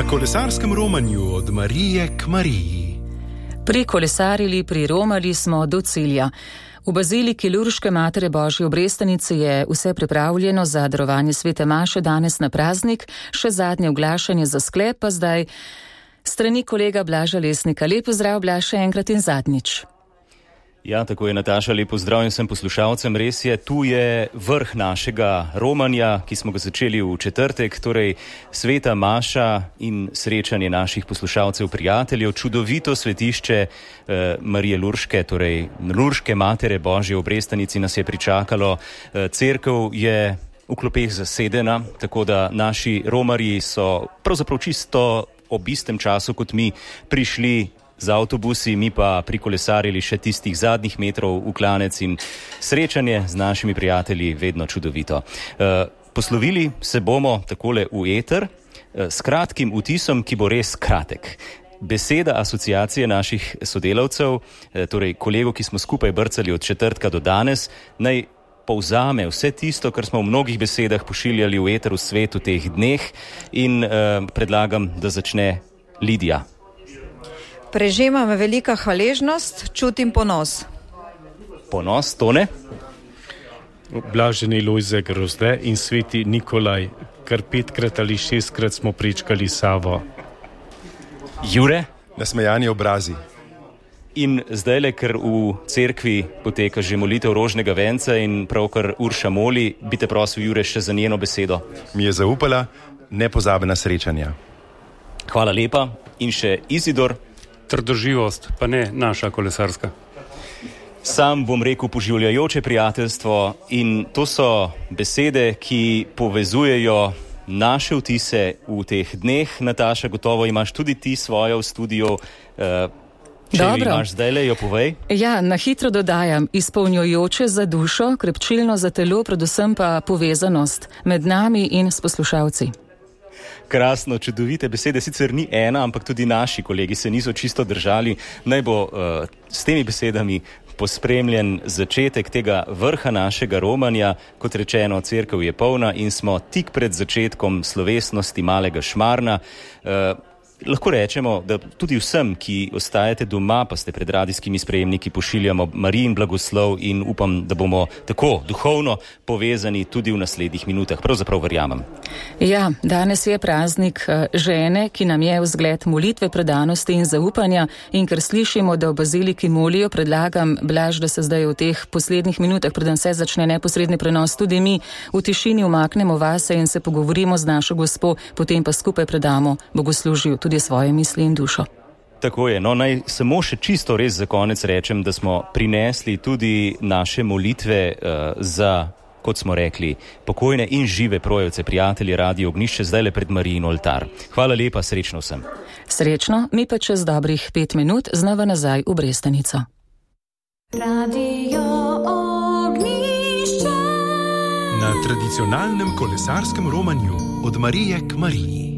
Na kolesarskem romanju od Marije k Mariji. Prikolesarili, priromali smo do cilja. V baziliki Lurške Matere Božje obrestanice je vse pripravljeno za darovanje svete maše danes na praznik, še zadnje oglašanje za sklep pa zdaj strani kolega Blaža Lesnika. Lep pozdrav, Blaž, še enkrat in zadnjič. Ja, tako je, Nataša, lep pozdrav in vsem poslušalcem. Res je, tu je vrh našega romanja, ki smo ga začeli v četrtek, torej sveta maša in srečanje naših poslušalcev, prijateljev, čudovito svetišče Marije Lurške, torej Lurške Matere Božje obrestanici nas je pričakalo. Cerkev je v klopeh zasedena, tako da naši romarji so pravzaprav čisto ob istem času kot mi prišli z avtobusi, mi pa prikolesarili še tistih zadnjih metrov v klanec in srečanje z našimi prijatelji vedno čudovito. Poslovili se bomo takole v eter s kratkim vtisom, ki bo res kratek. Beseda asociacije naših sodelavcev, torej kolegov, ki smo skupaj brcali od četrtka do danes, naj povzame vse tisto, kar smo v mnogih besedah pošiljali v eter v svetu teh dneh in predlagam, da začne Lidija. Prežema me velika hvaležnost, čutim ponos. Ponos, Tone? Blaženi Lojze Grozde in sveti Nikolaj, kar 5-krat ali 6-krat smo prečkali Savo. Jure? Nasmejani obrazi. In zdajle, ker v cerkvi poteka že molitev rožnega venca in pravkar Urša moli, bi te prosil, Jure, še za njeno besedo. Mi je zaupala nepozabna srečanja. Hvala lepa. In še Izidor. Trdoživost, pa ne naša kolesarska. Sam bom rekel poživljajoče prijateljstvo in to so besede, ki povezujejo naše vtise v teh dneh. Nataša, gotovo imaš tudi ti svojo v studiu. Če imaš zdajle, jo povej. Ja, na hitro dodajam, izpolnjujoče za dušo, krepčilno za telo, predvsem pa povezanost med nami in s poslušalci. Krasno, čudovite besede, sicer ni ena, ampak tudi naši kolegi se niso čisto držali. Naj bo s temi besedami pospremljen začetek tega vrha našega romanja. Kot rečeno, cerkev je polna in smo tik pred začetkom slovesnosti malega Šmarna. Lahko rečemo, da tudi vsem, ki ostajate doma, pa ste pred radijskimi sprejemniki, pošiljamo Marijin blagoslov in upam, da bomo tako duhovno povezani tudi v naslednjih minutah. Pravzaprav verjamem. Ja, danes je praznik žene, ki nam je vzgled molitve, predanosti in zaupanja in ker slišimo, da v baziliki molijo, predlagam, Blaž, da se zdaj v teh poslednjih minutah, preden se začne neposredni prenos, tudi mi v tišini umaknemo vase in se pogovorimo z našo gospo, potem pa skupaj predamo bogoslužju tudi svoje misli in dušo. Tako je, no naj samo še čisto res za konec rečem, da smo prinesli tudi naše molitve za, kot smo rekli, pokojne in žive projevce, prijatelje Radio Ognjišče, zdajle pred Marijin oltar. Hvala lepa, srečno vsem. Srečno, mi pa čez dobrih 5 minut znova nazaj v Brestanico. Radio Ognjišče. Na tradicionalnem kolesarskem romanju od Marije k Mariji.